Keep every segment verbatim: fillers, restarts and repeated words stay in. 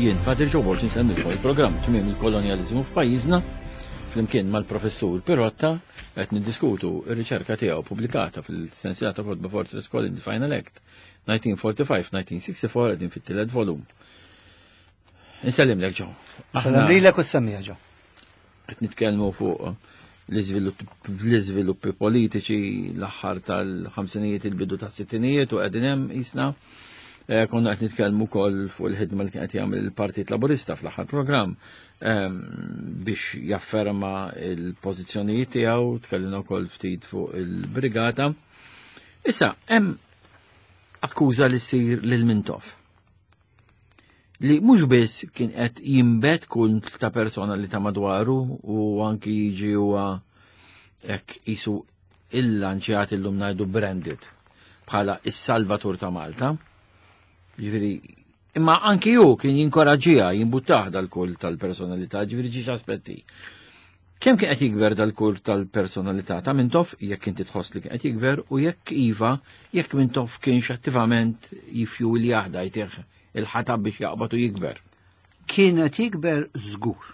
Jien Father Joe Borg insellmilkom il-programm Tmiem il-Kolonjaliżmu f'pajjiżna flimkien mal-professur Pirotta qed niddiskutu r-riċerka tiegħu pubblikata fil-sensiela ta' kotba Fortress Colony Final Act nineteen forty-five nineteen sixty-four, qegħdin fit-tielet volum. Insellimlek, Joe. Sellem lilek u s-semmiegħa, Joe. Qed nitkellmu fuq l-iżviluppi politiċi l-aħħar tal-ħamsinijiet, il-bidu tas-sittinijiet, u qegħdin hemm jisna. Eh, konna qed nitkellmu wkoll fuq il-ħidma li kien qed jagħmel il-Partit Laburista fl-aħħar programm ehm, biex jafferma il-pożizzjonijiet tiegħu, tkellimna wkoll ftit fuq il-brigata. Issa, hemm akkuża li ssir lil Mintoff li mhux biss kien qed jinbet kult ta' persona li ta' madwaru u anki jiġi huwa hekk isu illanċjat, illum ngħidu branded, bħala is-salvatur ta' Malta. Ġifieri, imma anki ju kien jinkoraġġija, jimbuttah dal-kult tal-personalità, ġifieri ġiex aspetti. Kemm kien qed jikber dal-kult tal-personalità ta' Mintoff, jekk inti tħoss li kien qed jikber, u jekk iva, jekk Mintoff kienx attivament jifju li jaħda jtieħ il-ħatab biex jaqbad u jikber? Kienet jikber żgur.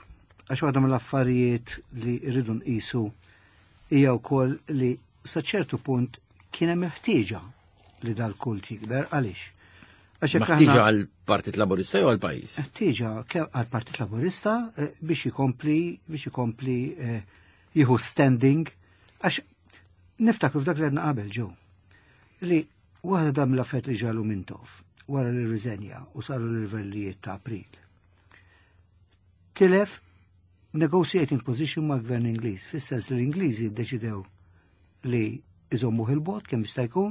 Għax waħda mill-affarijiet li rridu nqisu hija wkoll li sa ċertu punt kien hemm il-ħtieġa li dal-kult jikber. Għaliex? Għax jekk Maħtieġa aħna- għal-Partit Laburista jew għal-pajjiż? Ħtieġa ke- għal-Partit Laburista eh, biex ikompli biex ikompli eh, jieħu standing, għax niftakru f'dak li għedna qabel, Joe, li waħda dam l-affett li ġalu Mintoff wara li rriżenja u saru l-irvellijiet ta' April. Tilef negotiating position ma' gvern Ingliż, fis-sens li l-Ingliżi ddeċidew li iżommuh il-bogħod kemm jista' jkun.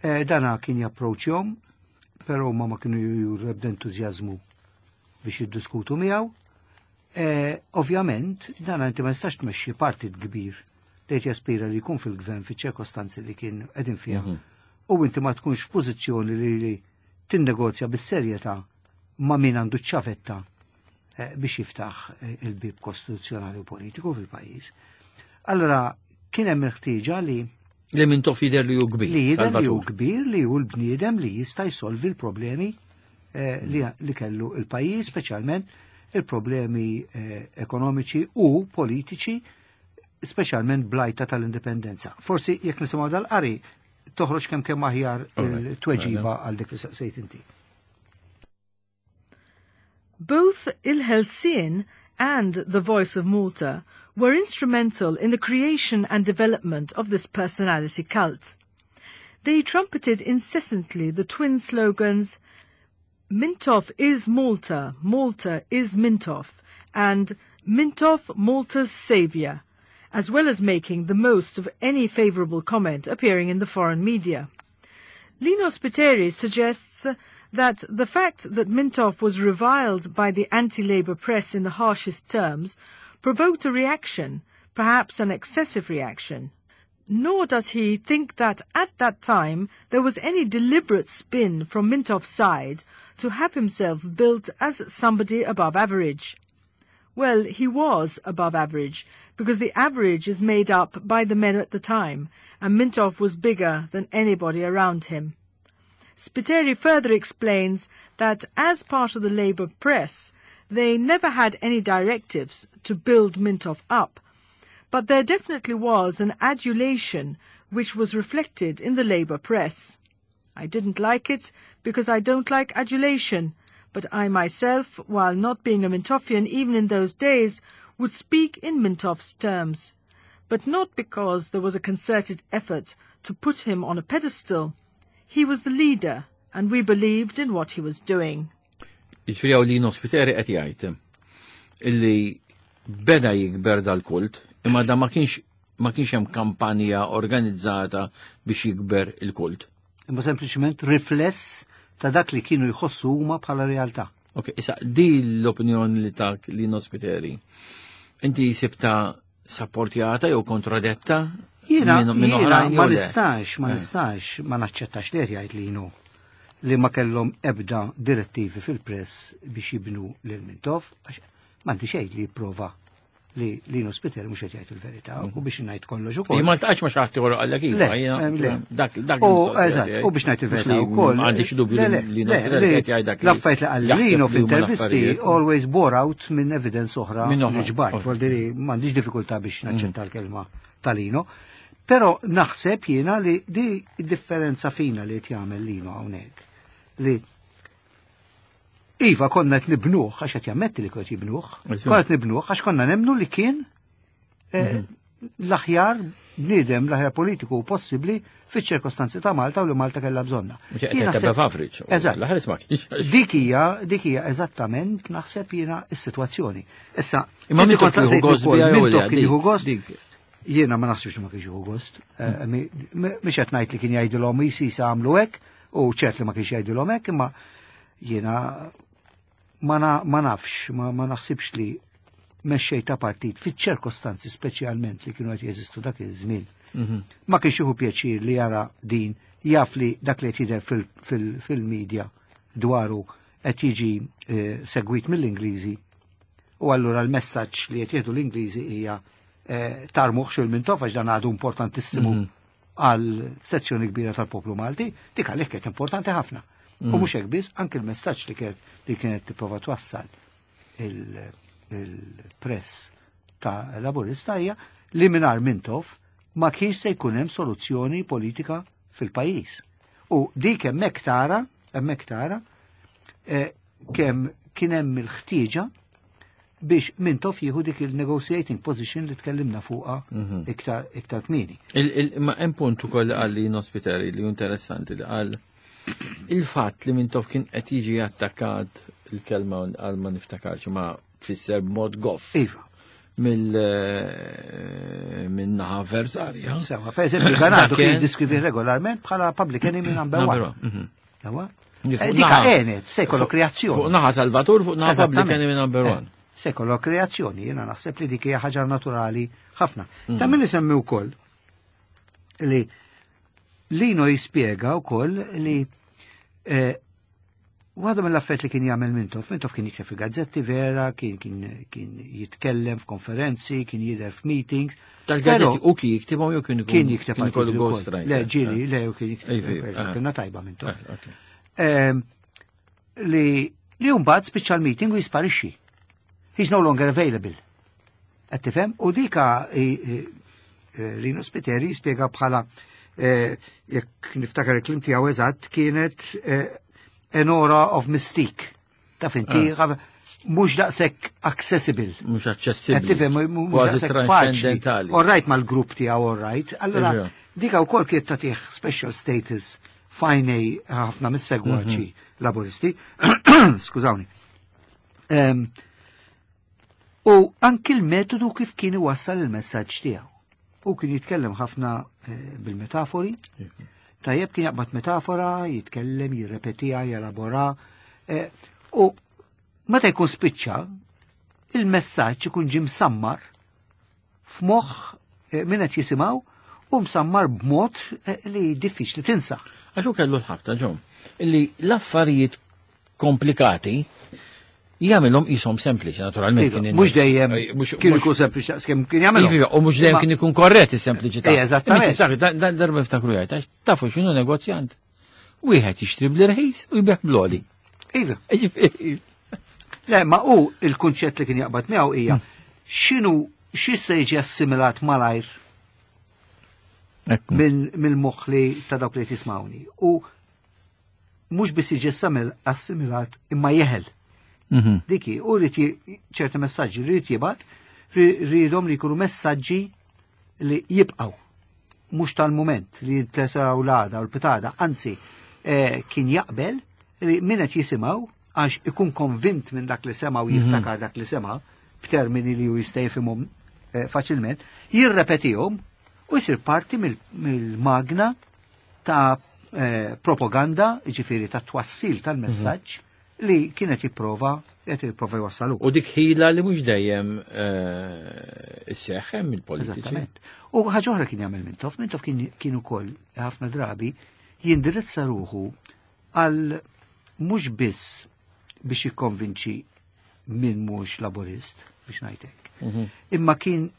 Eh, dana kien japproċjhom, però ma ma kienu juru ebda entużjażmu biex jiddiskutu miegħu. Eh, Ovvjament, dana inti ma jistax tmexxi partit kbir li qed jaspira li jkun fil-gvern fiċ-ċirkostanzi li kien qegħdin fiha. U inti ma tkunx f'pożizzjoni li, li tinnegozja bis-serjetà ma' min għandu ċ-ċavetta eh, biex jiftaħ eh, il-bib kostituzzjonali u politiku fil-pajjiż. Allora, kien hemm il-ħtieġa li Li Mintoff jidher li hu kbir. Li jidher li hu Salvatur. Kbir, li hu l-bniedem li jista' jsolvi l-problemi eh, li, li kellu il-pajjiż, speċjalment il-problemi eh, ekonomiċi u politiċi, speċjalment bl-għajta tal-indipendenza. Forsi jekk nisimgħu dal-qari toħroġ kemm kemm aħjar Alright, il-tweġiba għal dik li saqsejt inti. Both Il-Ħelsien and The Voice of Malta were instrumental in the creation and development of this personality cult. They trumpeted incessantly the twin slogans "Mintoff is Malta, Malta is Mintoff" and "Mintoff, Malta's Saviour", as well as making the most of any favourable comment appearing in the foreign media. Lino Spiteri suggests that the fact that Mintoff was reviled by the anti-Labour press in the harshest terms provoked a reaction, perhaps an excessive reaction. Nor does he think that at that time there was any deliberate spin from Mintoff's side to have himself built as somebody above average. Well, he was above average, because the average is made up by the men at the time, and Mintoff was bigger than anybody around him. Spiteri further explains that as part of the Labour press, they never had any directives to build Mintoff up, but there definitely was an adulation which was reflected in the Labour press. "I didn't like it because I don't like adulation, but I myself, while not being a Mintoffian even in those days, would speak in Mintoff's terms. But not because there was a concerted effort to put him on a pedestal. He was the leader, and we believed in what he was doing." Jiġifieri hawn Lino Spiteri qed jgħid illi beda jikber dal-kult, imma da ma kienx ma kienx hemm kampanja organizzata biex jikber il-kult. Imma sempliċement rifless ta' dak li kienu jħossu huma bħala realtà. Ok, issa di l-opinjoni li tak Lino Spiteri. Inti sibta sapportjata jew kontradetta Jiena, minn- minn jiena oħrajn ma jew le? nistax, ma Eh. nistax, ma naċċettax li jgħid li jinu li ma kellhom ebda direttivi fil-press biex jibnu lil Mintoff, għax m'għandi xejn li jipprova li Lino Spiteri mhux qed jgħid il-verità u biex ngħid kollox ukoll. Jien ma ltaqgħetx ma' xi ħadd ieħor qallek iva, jiena dak dak. Eżatt, u biex ngħid il-verità wkoll. M'għandix dubju li Lino Spiteri qed jgħid dak. L-affarijiet li qal Lino f'intervisti always bore out minn evidence oħra li ġbart. Vuol m'għandix diffikultà biex naċċetta l-kelma ta' Lino. Però naħseb jiena li di differenza fina li qed jagħmel Lino hawnhekk. Li iva konna qed nibnuh għax qed jammetti li kont jibnuh, konna qed nibnuh għax konna nemmnu li kien l-aħjar bniedem, l-aħjar politiku possibbli fiċ-ċirkostanzi ta' Malta u li Malta kellha bżonna. Eżatt. Dik hija, dik hija eżattament naħseb jiena s-sitwazzjoni. Issa, imma min kont jieħu gost kien jieħu gost? Jiena ma naħsibx ma kienx jieħu gost. Mhix qed ngħid li kien jgħidilhom jisisa għamlu hekk u ċert li ma kienx jgħidilhom hekk, imma jiena ma nafx, ma naħsibx li mexxej ta' partit fiċ-ċirkostanzi speċjalment li kienu qed jeżistu dak iż-żmien. Ma kienx jieħu pjaċir li jara din, jaf li dak li qed jidher fil-medja dwaru qed jiġi segwit mill-Ingliżi u allura l-messaġġ li qed jieħdu l-Ingliżi hija tarmuh lil Mintoff għax dan għadu importantissimu għal sezzjoni kbira tal-poplu Malti, dik għalhekk kienet importanti ħafna. U mhux hekk biss, anke l-messaġġ li kienet li kienet tipprova twassal il-press ta' Laburista hija li mingħajr Mintoff ma kienx se jkun hemm soluzzjoni politika fil-pajjiż. U dik hemmhekk tara, hemmhekk tara kemm kien hemm il-ħtieġa biex Mintoff jieħu dik il-negotiating position li tkellimna fuqha iktar iktar kmieni. Ma hemm punt ukoll qal Lino Spiteri li interessanti li qal il-fatt li Mintoff kien qed jiġi attakkat, il-kelma għal ma niftakarx ma tfisser b'mod goff. Iva. Mill minn naħa avversarja. Sewa, per eżempju, Ganado kien jiddeskrivi regolarment bħala public enemy number one. Sewa? Dika għenet, se jkollok reazzjoni. Fuq naħa Salvatur, fuq naħa public enemy number one. Se jkollok reazzjoni, jiena naħseb li dik hija ħaġa naturali ħafna. Ta' min isemmi wkoll li Lino jispjega wkoll li waħda mill-affarijiet li kien jagħmel Mintoff, Mintoff kien jikteb fil-gazzetti vera, kien kien kien jitkellem f'konferenzi, kien jidher f'meetings. Tal-gazzetti u kien jiktibhom jew kien kien jikteb artikli wkoll. Le, ġieli, le, u kien jikteb. Kienna tajba Mintoff. Li li mbagħad spiċċa l-meeting u jisparixxi. He's no longer available. Qed tifhem? U dika Lino Spiteri jispjega bħala jekk niftakar il-kliem tiegħu eżatt kienet an aura of mystique. Taf inti, mhux daqshekk accessible. Mhux aċċessibbli. Qed tifhem, mhux daqshekk faċli. All right mal-grupp tiegħu, all right. Allura dika wkoll kienet tagħtih special status f'għajnejn ħafna mis-segwaċi Laburisti. Skużawni. U anki l-metodu kif kien iwassal il-messaġġ tiegħu. U kien jitkellem ħafna bil-metafori. Tajjeb kien jaqbad metafora, jitkellem, jirrepetiha, jelabora. U meta jkun spiċċa, il-messaġġ ikun ġie msammar f'moħħ min qed jisimgħu u msammar b'mod li diffiċli tinsa. Għax hu kellu l-ħabta ġom, illi l-affarijiet komplikati jagħmilhom qishom sempliċi, naturalment kien Mhux dejjem kien ikun sempliċi kemm kien jagħmilhom. Iva, u mhux dejjem kien ikun korrett is-sempliċità. Eżattament. Darba niftakru jgħid, għax tafu x'inhu negozjant. Wieħed jixtri bl-irħis u jbigħ bl-għoli. Iva. Le, ma hu il-kunċett li kien jaqbad miegħu hija x'inhu xi se jiġi assimilat malajr mill-moħħ li ta' dawk li tismawni. U mhux biss jiġi assimilat imma jeħel. Diki, u rrid ċerti messaġġi li rrid jibgħat, rridhom li jkunu messaġġi li jibqgħu, mhux tal-mument li jintesaw l-għada u l-pitada, anzi kien jaqbel li min qed jisimgħu għax ikun konvint minn dak li sema' u jiftakar dak li sema' b'termini li hu jista' jifhimhom faċilment, jirrepetihom u jsir parti mill-magna ta' propaganda, ġifieri ta' twassil tal-messaġġ li kienet jipprova qed jipprova jwassalu. U dik ħila li mhux dejjem isseħħ hemm il-politiċi. Eżattament. U ħaġa oħra kien jagħmel Mintoff, Mintoff kien ukoll ħafna drabi jindirizza ruħu għal mhux biss biex jikkonvinċi min mhux Laburist, biex ngħid hekk. Imma kien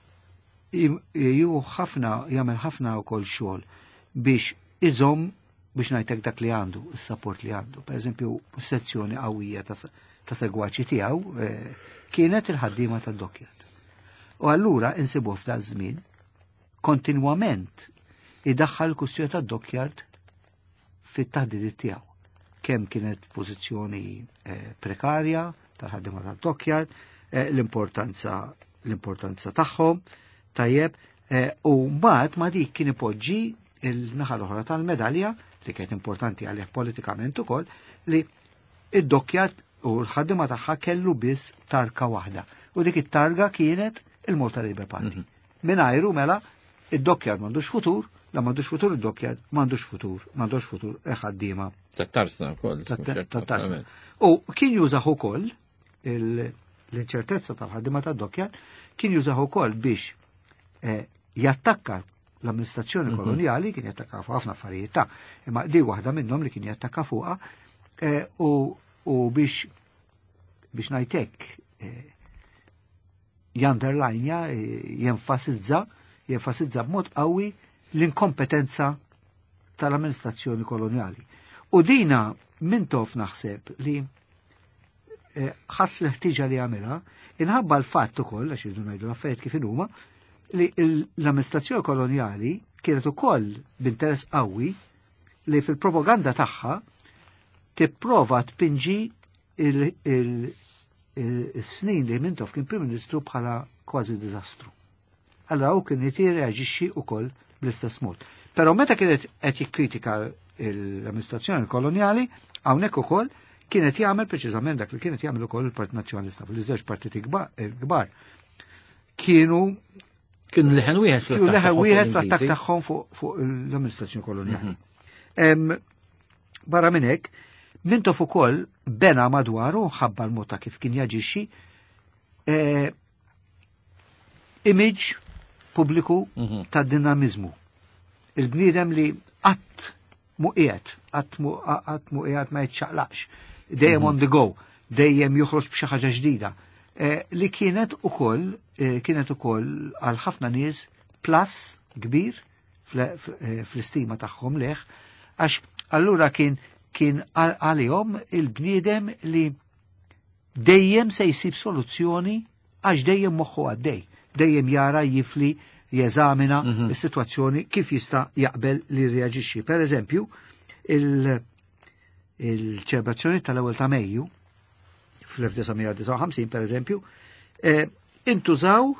ju ħafna, jagħmel ħafna wkoll xogħol biex iżomm, biex ngħidlek, dak li għandu, is-support li għandu. Per eżempju, sezzjoni qawwija ta' segwaċi tiegħu eh, kienet il-ħaddiema tad-dockyard. U allura insibu f'dan żmien kontinwament idaħħal kwistjoni tad-dockyard fit-taħdidiet tiegħu. Kemm kienet pożizzjoni eh, prekarja tal-ħaddiema tad-dockyard, eh, l-importanza l-importanza tagħhom, tajjeb, u mbagħad ma dik kien ipoġġi il-naħa l-oħra tal-medalja li kienet importanti għalih politikament ukoll, li id-dockyard u l-ħaddiema tagħha kellu biss tarka waħda. U dik it-targa kienet il-Malta Labour Party. Mm -hmm. Mingħajru mela id-dockyard m'għandux futur, la m'għandux futur id-dockyard, m'għandux futur, m'għandux futur ħaddiema. Tat-tarsna wkoll. Tat-tarsna. U kien jużah ukoll l-inċertezza tal-ħaddiema tad-dockyard, kien jużah ukoll biex eh, jattakka l-amministrazzjoni mhm. koloniali, kien jattakka fuq ħafna affarijiet ta' imma di waħda minnhom li kien jattakka fuqha eh, u biex biex ngħidlek eh, junderlinja, jenfasizza, jenfasizza b'mod qawwi l-inkompetenza tal-amministrazzjoni koloniali. U dina Mintoff naħseb li ħass l-ħtiġa li għamilha, inħabba l-fatt ukoll, għax irridu ngħidu l-affarijiet kif huma, li l-amministrazzjoni koloniali kienet ukoll b'interess qawwi li fil-propaganda tagħha tipprova tpinġi il-snin li Mintoff kien Prim Ministru bħala kważi diżastru. Allora u kien reaġixxi ukoll bl-istess mod. Però meta kienet qed jikkritika l-amministrazzjoni koloniali, hawnhekk ukoll kienet jagħmel preċiżament dak li kienet jagħmel ukoll il-Partit Nazzjonalista fil-żewġ partiti kbar. Kienu Kienu leħen wieħed. Kienu leħen wieħed fl-attakk tagħhom fuq l-amministrazzjoni koloniali. Mhm. Barra minn hekk, Mintoff ukoll bena madwaru ħabba l-mod ta' kif kien jaġixxi eh, image pubbliku mhm. ta' dinamizmu. Il-bniedem li qatt mu qiegħed, qatt mu qatt mu qiegħed, ma jitċaqlaqx, dejjem mhm. on the go, dejjem joħroġ b'xi ħaġa ġdida. Eh, li kienet ukoll eh, kienet ukoll għal ħafna nies plus kbir fl-istima tagħhom leħ, għax allura kien kien għalihom il-bniedem li dejjem se jsib soluzzjoni għax dejjem moħħu għaddej, dejjem jara, jifli, jeżamina mm -hmm. is-sitwazzjoni kif jista' jaqbel li reaġixxi. Per eżempju, il-ċelebrazzjoni tal-ewwel ta' Mejju fl-elf disa' mija disgħa u ħamsin, per eżempju, eh, intużaw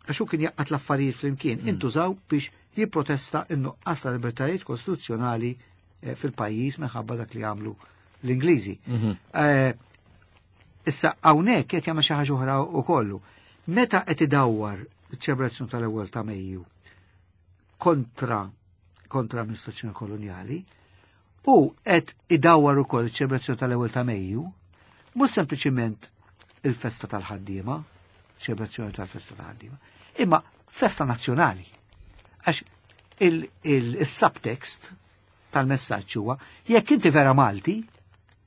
għax hu kien jgħaqqad l-affarijiet flimkien, mm. intużaw biex jipprotesta in-nuqqas ta' libertajiet kostituzzjonali eh, fil-pajjiż minħabba dak li għamlu l-Ingliżi. Mhm. Eh, issa hawnhekk qed jagħmel xi ħaġa oħra wkoll. Meta qed idawwar iċ-ċelebrazzjoni tal-ewwel ta' Mejju kontra kontra amministrazzjoni koloniali u qed idawwar ukoll iċ-ċelebrazzjoni tal-ewwel ta' Mejju, mhux sempliċiment il-festa tal-ħaddiema, ċelebrazzjoni tal-festa tal-ħaddiema, imma festa nazzjonali. Għax il-subtext tal-messaġġ huwa: jekk inti vera Malti,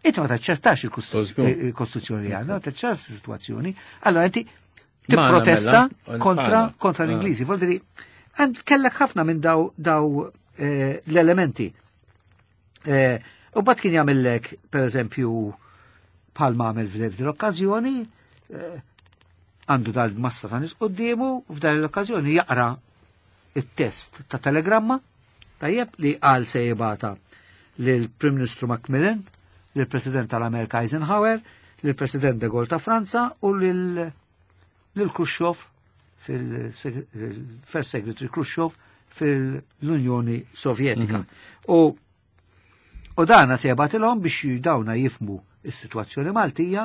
inti ma taċċertax il-Kostituzzjoni li għandna, ma taċċertax is-sitwazzjoni, allora inti tipprotesta mela, kontra kontra ah. l-Ingliżi. Vuol għand kellek ħafna minn daw daw eh, l-elementi. Eh, u mbagħad kien jagħmellek, per eżempju, bħalma għamel f'din l-okkażjoni, eh, għandu dal-massa ta' nies quddiemu, f'dan l-okkażjoni jaqra it-test ta' telegramma, tajjeb, li għal se jibgħatha lill-Prim Ministru Macmillan, lill-President tal-Amerika Eisenhower, lill-President de Gaulle ta' Franza u lil Khrushchev, fil-First Secretary Khrushchev fil-Unjoni Sovjetika. Mhm. U u dana se jibgħatilhom biex dawna jifhmu is-sitwazzjoni Maltija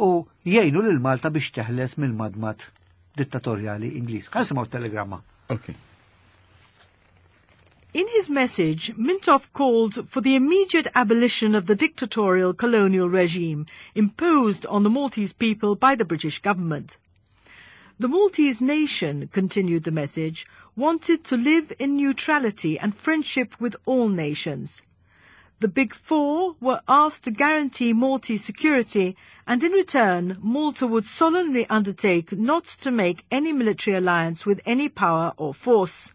u jgħinu lil Malta biex teħles mill-madmad dittatorjali Ingliż. Ħa nisimgħu telegramma. Okay. In his message, Mintoff called for the immediate abolition of the dictatorial colonial regime imposed on the Maltese people by the British government. The Maltese nation, continued the message, wanted to live in neutrality and friendship with all nations. The Big Four were asked to guarantee Maltese security, and in return, Malta would solemnly undertake not to make any military alliance with any power or force.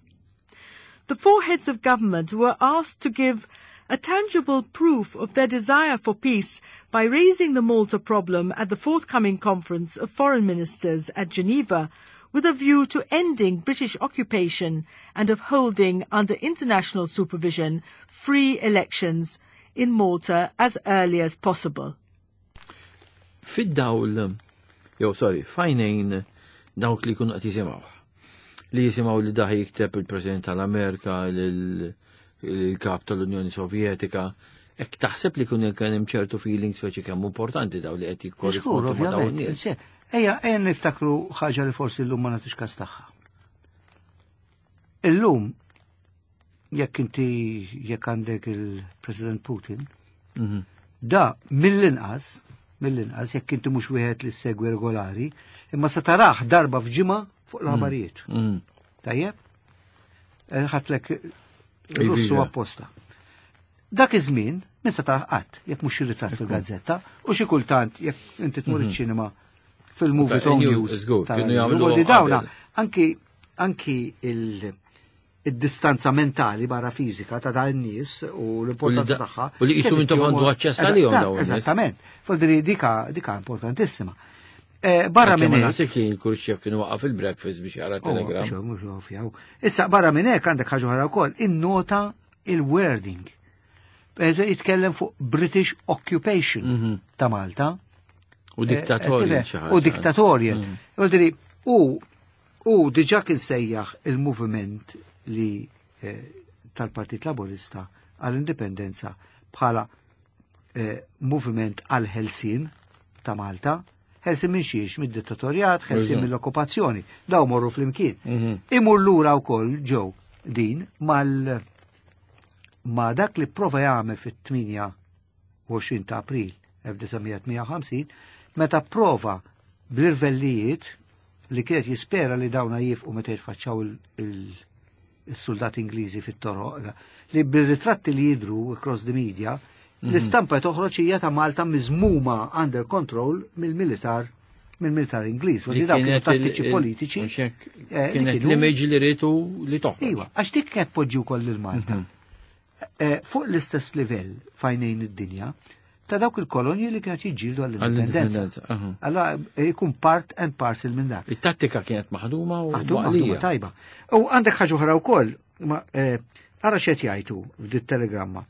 The four heads of government were asked to give a tangible proof of their desire for peace by raising the Malta problem at the forthcoming conference of foreign ministers at Geneva, with a view to ending British occupation and of holding under international supervision free elections in Malta as early as possible. Fid-dawl, jew sorry, f'għajnejn dawk li kunu qed jisimgħu. Li jisimgħu li daħi jikteb il-President tal-Amerika, il-kap tal-Unjoni Sovjetika, Ek taħseb li kun kien hemm ċertu feeling speċi kemm importanti daw li qed jikkorrispondu ma' dawn nies. Ejja, ejja niftakru ħaġa li forsi llum ma nagħtix każ tagħha. Illum jekk inti jekk għandek il-President Putin, mhm. da mill-inqas, mill-inqas jekk inti mhux wieħed li segwi regolari, imma se tarah darba f'ġimgħa fuq l-aħbarijiet. Mhm. Tajjeb? Eh, ħatlek Russu apposta. Dak iż-żmien min se tarah qatt jekk mhux ritratt fil-gazzetta u xi kultant jekk inti tmur mhm. iċ-ċinema fil-movie Tone News. Kienu dawna anki anki il-distanza mentali barra fizika ta' da' n-nies u l-importanza tagħha. U li jisu intom għandu aċċess għalihom dawn. Eżattament. Fodri dika dika importantissima. Eh, barra minn hekk. Naħseb li l-Khrushchev kienu waqaf il-breakfast biex jara oh, telegram. Issa barra minn hekk għandek ħaġa oħra wkoll, innota il-wording. Jitkellem fuq British occupation mhm. ta' Malta. U diktatorjal. Eh, u diktatorjal. Mm. U u diġa kien sejjaħ il-moviment li eh, tal-Partit Laburista għall-indipendenza bħala eh, moviment għal-ħelsien ta' Malta, ħelsien minn xiex, mid-dittatorjat, ħelsien mill-okkupazzjoni, daw morru flimkien. Mhm. Imur lura wkoll ġew din mal ma dak li prova jagħmel fit-tmienja u għoxrin ta' April elf disa' mija tmienja u ħamsin meta prova bl-irvellijiet li kienet jispera li dawna jifqu meta jitfaċċaw il-soldati Ingliżi fit-toroq, li bil-ritratti li jidru across the media, mhm. l-istampa toħroġ hija ta' Malta miżmuma under control mill-militar mill-militar Ingliż. U li dawk kienu tattiċi politiċi. Eh, kienet l-image li ritu li toħroġ. Iva, għax dik kienet poġġi wkoll lil Malta. Mhm. Eh, fuq l-istess livell f'għajnejn id-dinja, ta' dawk il-kolonji li kienet jiġġieldu għall-indipendenza. Allora jkun part and parcel minn dak. Il-tattika kienet maħduma u maħduma tajba. U għandek ħaġa oħra wkoll, eh, ara x'qed jgħidu f'dit telegramma.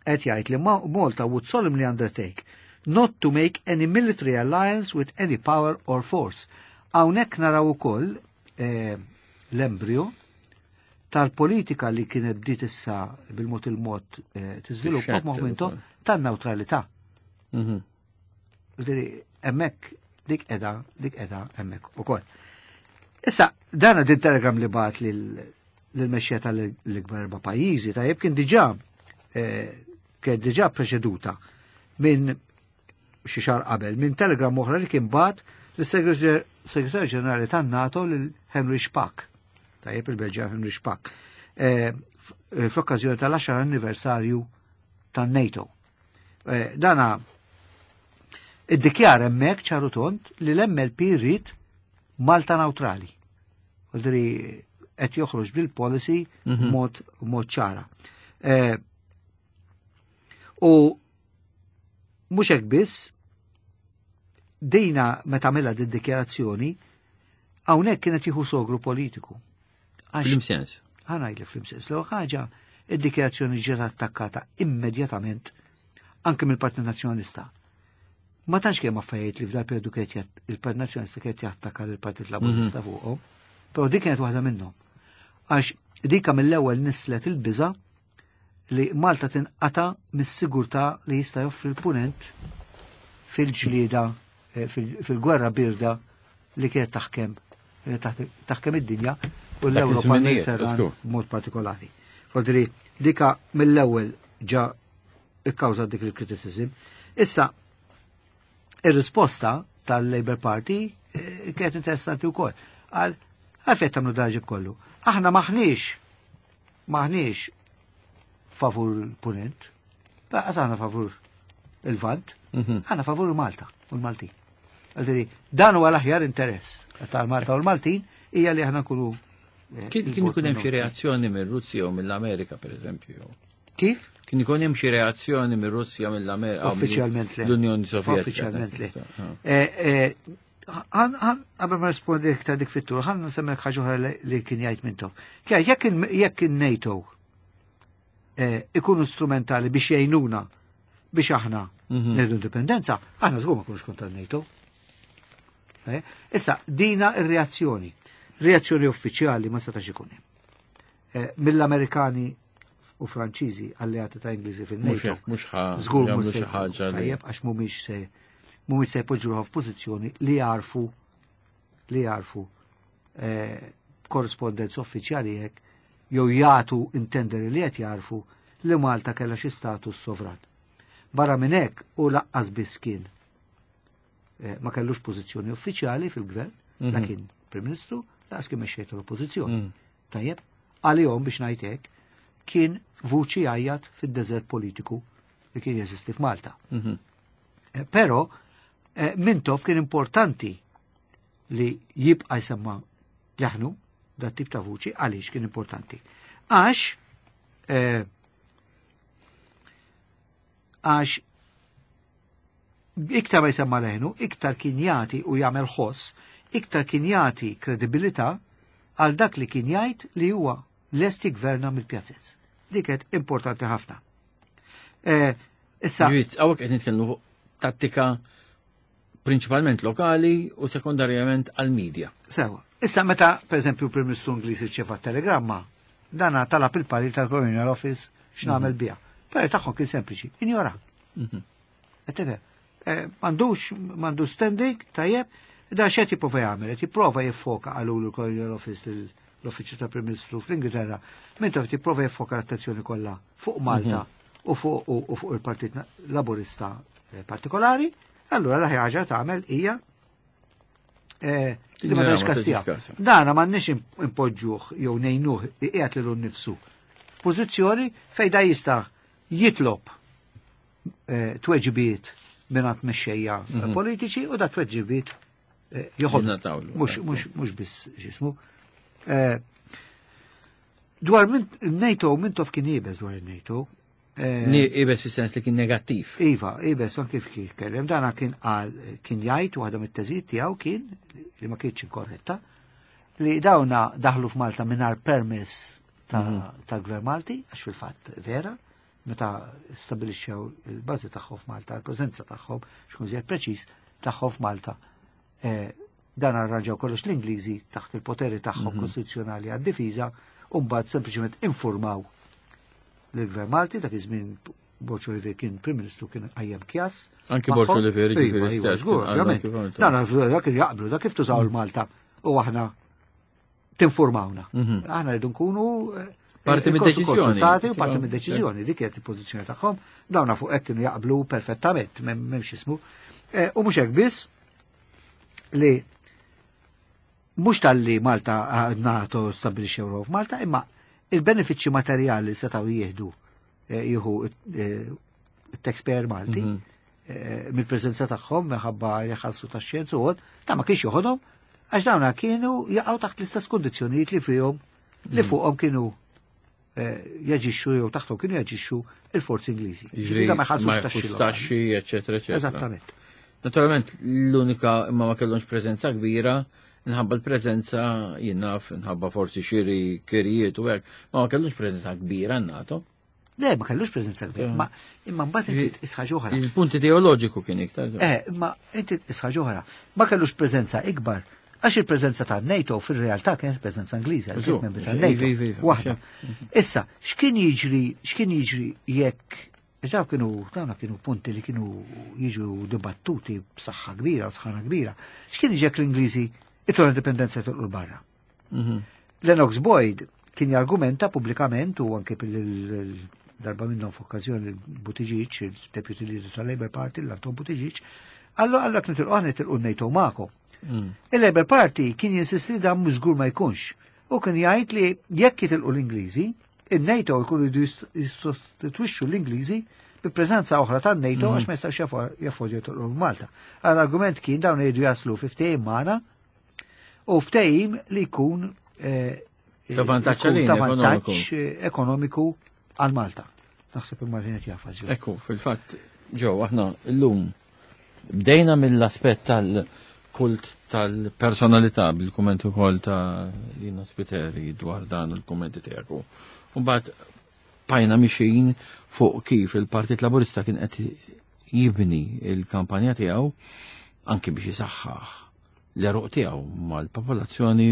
Qed jgħid li Malta would solemnly undertake not to make any military alliance with any power or force. Hawnhekk naraw ukoll eh, l-embryo tal-politika li kienet bdiet issa bil-mod il-mod eh, tiżviluppa f'moħħ tan-neutralità. Mhm. Hemmhekk dik edha, dik edha hemmhekk ukoll. Issa, dana din telegram li bagħat lill-mexxejja tal-ikbar erba' pajjiżi, tajjeb kien diġà eh, kien diġà preċeduta minn xi xahar qabel minn telegram oħra li kien bagħat lis-Segretarju Ġenerali tan-NATO lil Henry Spaak. Tajjeb, il-Belġjan Henry Spaak. Eh, fl-okkażjoni tal-għaxar anniversarju tan-NATO. Eh, dana iddikjara hemmhekk ċar u tond li l-M L P rrid Malta neutrali. Vuoldiri qed joħroġ bil-policy mhm. mod mod ċara. Eh, u mhux hekk biss, dejna meta għamilha din dikjarazzjoni hawnhekk kienet jieħu sogru politiku. F'liema sens? Ħa ngħidlek f'liema sens. L ħaġa, id-dikjarazzjoni ġiet attakkata immedjatament anke mill-Partit Nazzjonalista. Ma tantx kemm affarijiet li f'dal periodu kienet il-Partit Nazzjonalista kienet jattakka lill-Partit Laburista mhm. fuqhom, però dik kienet waħda minnhom. Għax dika mill-ewwel nislet il-biża li Malta tinqata mis-sigurtà li jista' joffri l-punent fil-ġlieda eh, fil-gwerra birda li kienet taħkem taħkem id-dinja u l-Ewropa mod partikolari. Vuoldiri, dika mill-ewwel ġa ikkawża dik il-criticism. Issa, ir-risposta tal-Labour Party eh, kienet interessanti wkoll. Għal għalfejn tagħmlu daġib kollu. Aħna maħniex maħniex favur l-punent. Lanqas aħna favur il-Lvant, aħna favur Malta u l-Maltin. Għaldiri, dan huwa l-aħjar interess tal-Malta u l-Maltin hija li aħna nkunu eh, Kien kien ikun hemm xi reazzjoni mir-Russja u mill-Amerika, pereżempju. Kif? Kien ikun hemm xi reazzjoni mir-Russja, mill-Amerika. Uffiċjalment le. L-Unjoni Sovjetika. Uffiċjalment le. Eh, eh, Għan, għan, qabel ma rispondi iktar dik fit-tul, ħa nsemmek ħaġa oħra li- li kien jgħid Mintoff. Kien jekk il- jekk in-NATO eh, ikunu strumentali biex jgħinuna biex aħna Mhm. nieħdu indipendenza, aħna żgur ma nkunux kontra n-NATO. Eh, Issa, dina ir-reazzjoni. Reazzjoni uffiċjali ma setax ikun hemm. Eh, Mill-Amerikani u Franċiżi alleati ta' Ingliżi Mhux fil-NATO. hekk, mhux ħa Żgur jagħmlu mhux xi se ħaġa li. Tajjeb, għax mhumiex se mhumiex se jpoġġu ruħhom f'pożizzjoni li jarfu li jarfu eh, korrespondenza uffiċjali hekk jew jagħtu intenderi li qed jarfu li Malta kellha xi status sovran. Barra minn hekk u lanqas biss kien eh, ma kellux pożizzjoni uffiċjali fil-gvern, Mhm. la kien Prim Ministru, lanqas kien mexxej tal-Oppożizzjoni. Mm. Tajjeb, għalihom biex ngħid hekk kien vuċi għajjat fid-deżert politiku li kien jeżisti f'Malta. Mhm. Eh, Però eh, Mintoff kien importanti li jibqa' jsemma leħnu dat tip ta' vuċi. Għaliex kien importanti? Għax eh, għax iktar ma jsemma leħnu, iktar kien jagħti u jagħmel ħoss, iktar kien jagħti kredibilità għal dak li kien jgħid li huwa lest jigverna mill-pjazez. Dik kienet importanti ħafna. Eh, issa, Ġifieri, hawnhekk qed nitkellmu fuq tattika prinċipalment lokali u sekondarjament għal-medja. Sewa. Issa meta, per eżempju, Prim Ministru Ingliż irċeva telegramma, dana talab il-parir tal-Colonial Office x'nagħmel biha. Parir tagħhom kien sempliċi, injora. Qed tifhem? Eh, M'għandux m'għandux standing, tajjeb, da x'qed jipprova jagħmel, qed jipprova jiffoka qalulu l-Colonial Office l-Uffiċċju tal-Prim Ministru fl-Ingilterra, Mintoff jipprova jiffoka l-attenzjoni kollha fuq Malta u fuq u fuq il-Partit Laburista eh, partikolari, allura l-aħjar ħaġa tagħmel hija eh, li ma Tinjora, tagħx ma kas tiegħu. tagħtix kas. Dana m'għandniex impoġġuh jew ngħinuh iqiegħed lilu nnifsu f'pożizzjoni fejn da jista' jitlob eh, tweġibiet mingħand mexxejja politiċi u da tweġibiet eh, joħod. Jingħatawlu. Mhux mhux mhux biss x'ismu. Eh, Dwar min NATO, Mintoff kien iebes dwar il-NATO. Eh, Ni iebes fis-sens li kien negattiv. Iva, iebes, anki kif kif kellem, dana kien qal, kien jgħid, waħda mit-teżijiet tiegħu kien, li ma kienx inkorretta, li dawna daħlu f'Malta mingħajr permess ta' tal-Gvern Malti, għax fil-fatt vera, meta stabilixxew il-bażi tagħhom f'Malta, il-preżenza tagħhom, xkun żjed preċiż, tagħhom f'Malta. Eh, dan arranġaw kollox l-Ingliżi taħt il-poteri tagħhom kostituzzjonali għad-difiża, u mbagħad sempliċement informaw l-Gvern Malti. Dak iż-żmien Borg Olivier kien Prim Ministru, kien qajjem kjas. Anki Borg magħhom. Olivier, Iva, ġifieri iva, stess, żgur, kien qal ovvjament. kif għamiltu. Dan dak kien jaqblu, dak kif tużaw il-Malta u aħna tinformawna. Aħna rridu nkunu eh, Parti eh, mid-deċiżjoni. konsultati u parti mid-deċiżjoni, dik kienet il-pożizzjoni tagħhom, dawna fuq hekk kienu jaqblu perfettament, m'hemmx ismu. Eh, U mhux hekk biss, li mhux tal-li Malta eh, NATO stabbilixxew ruħu f'Malta, imma il-benefiċċji materjali setgħu jieħdu eh, jieħu eh, it-taxpayer Malti eh, mill-preżenza tagħhom minħabba jħallsu tax-xjenza u ta' ma kienx joħodhom għax dawna kienu jaqgħu taħt l-istess kondizzjonijiet li fihom li fuqhom kienu eh, jaġixxu jew taħthom kienu jaġixxu il-forzi Ingliżi. Ġifieri Da ma jħallsux ma taxxi jħallsux lokali. taxxi, eċetera, eċetera. Eżattament. Naturalment, l-unika imma ma kellhomx preżenza kbira, nħabba l-preżenza jinnaf, nħabba forsi xiri kirijiet u hekk, ma ma kellhomx preżenza kbira n-NATO. Le, ma kellux preżenza kbira, ma imma mbagħad inti tqis ħaġa oħra. Il-punt ideoloġiku kien iktar. Eh, imma inti tqis ħaġa oħra. Ma kellux preżenza ikbar għax il-preżenza ta' NATO fil-realtà kienet preżenza Ingliża, Żgur, kienet membri tal-NATO. iva, iva, iva, Waħda. Issa, x'kien jiġri, x'kien jiġri jekk Iżaw kienu, dawna kienu punti li kienu jiġu dibattuti b'saħħa kbira, u sħana kbira. X'kien jiġi jekk l-Ingliżi ittu l-indipendenza jitilqu barra? Mhm. Lennox Boyd kien jargumenta pubblikament u anke bil darba minnhom f'okkażjoni Buttigieg, il-deputy leader tal-Labour Party, l-Anton Buttigieg, qallu qallu jekk nitilqu aħna nitilqu NATO magħkom. Mm. Il-Labour Party kien jinsisti li dan mhux żgur ma jkunx. U kien jgħid li jekk jitilqu l-Ingliżi, il-NATO jkunu jridu jissostitwixxu l-Ingliżi bi bi preżenza oħra tan-NATO għax ma jistgħux jaffordjaw joqtlu Malta. Għal-argument kien dawn jridu jaslu fi ftehim magħna u ftehim li jkun eh, Ta' vantaġġ jkun għalina, ta' vantaġġ ekonomiku għal Malta. Naħseb il-Martin qed jafha ġew. Ekku, fil-fatt, ġew, aħna llum bdejna mill-aspett tal-kult tal-personalità bil-kumment ukoll ta' Lina Spiteri dwar dan il-kummenti tiegħek. U mbagħad bqajna mixin fuq kif il-Partit Laburista kien qed jibni il-kampanja tiegħu anki biex jisaħħaħ l-għeruq tiegħu mal-popolazzjoni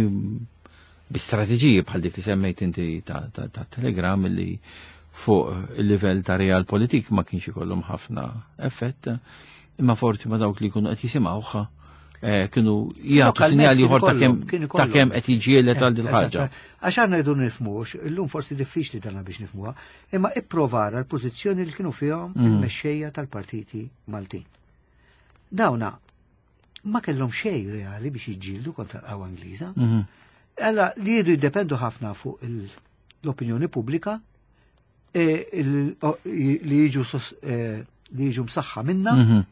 bi strateġiji bħal dik li semmejt inti ta', ta, ta Telegram li fuq il-livell ta' realpolitik ma kienx ikollhom ħafna effett, imma forsi ma dawk li jkunu qed jisimgħuha eh, kienu jagħtu Lokalment sinjali kien ieħor ta' ikollhom, kemm kien ta' ikollhom. kemm qed jiġġieled għal din ħaġa. Eżatt. Għax għandna rridu nifhmux, illum forsi diffiċli dana biex nifhmuha, imma ipprovara l-pożizzjoni li kienu fihom Mm. il-mexxejja tal-partiti Maltin. Dawna ma kellhom xejn reali biex jiġġieldu kontra l-qawwa Ingliża. Mhm. Alla li jridu jiddependu ħafna fuq il- l-opinjoni pubblika e, il- o- li jiġu sos- e, li jiġu msaħħa minna, Mhm.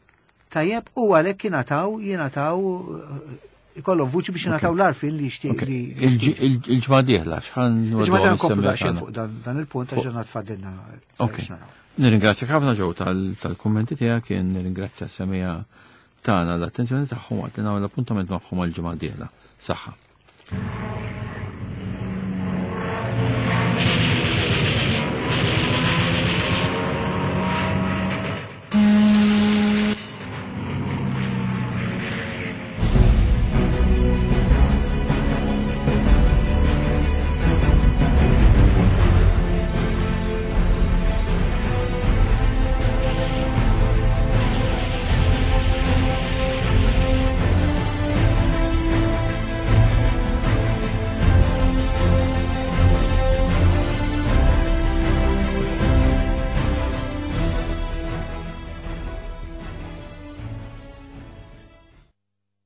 tajjeb u għalhekk jingħataw jingħataw eh, ikollhom vuċi biex jingħataw l-għarfien li jixtieq Ok. li Il-ġ- il- Il-ġimgħa dieħla x'ħan Il-ġimgħa dieħla nkomplu daqsxejn fuq dan dan il-punt għax għandna tfadilna. Ok. biex naraw. Nirringrazzjak ħafna ġew tal- tal-kummenti tiegħek, kien nirringrazzja s-semmiegħa tagħna l-attenzjoni tagħhom waqt li nagħmel appuntament magħhom għall-ġimgħa dieħla. Saħħa.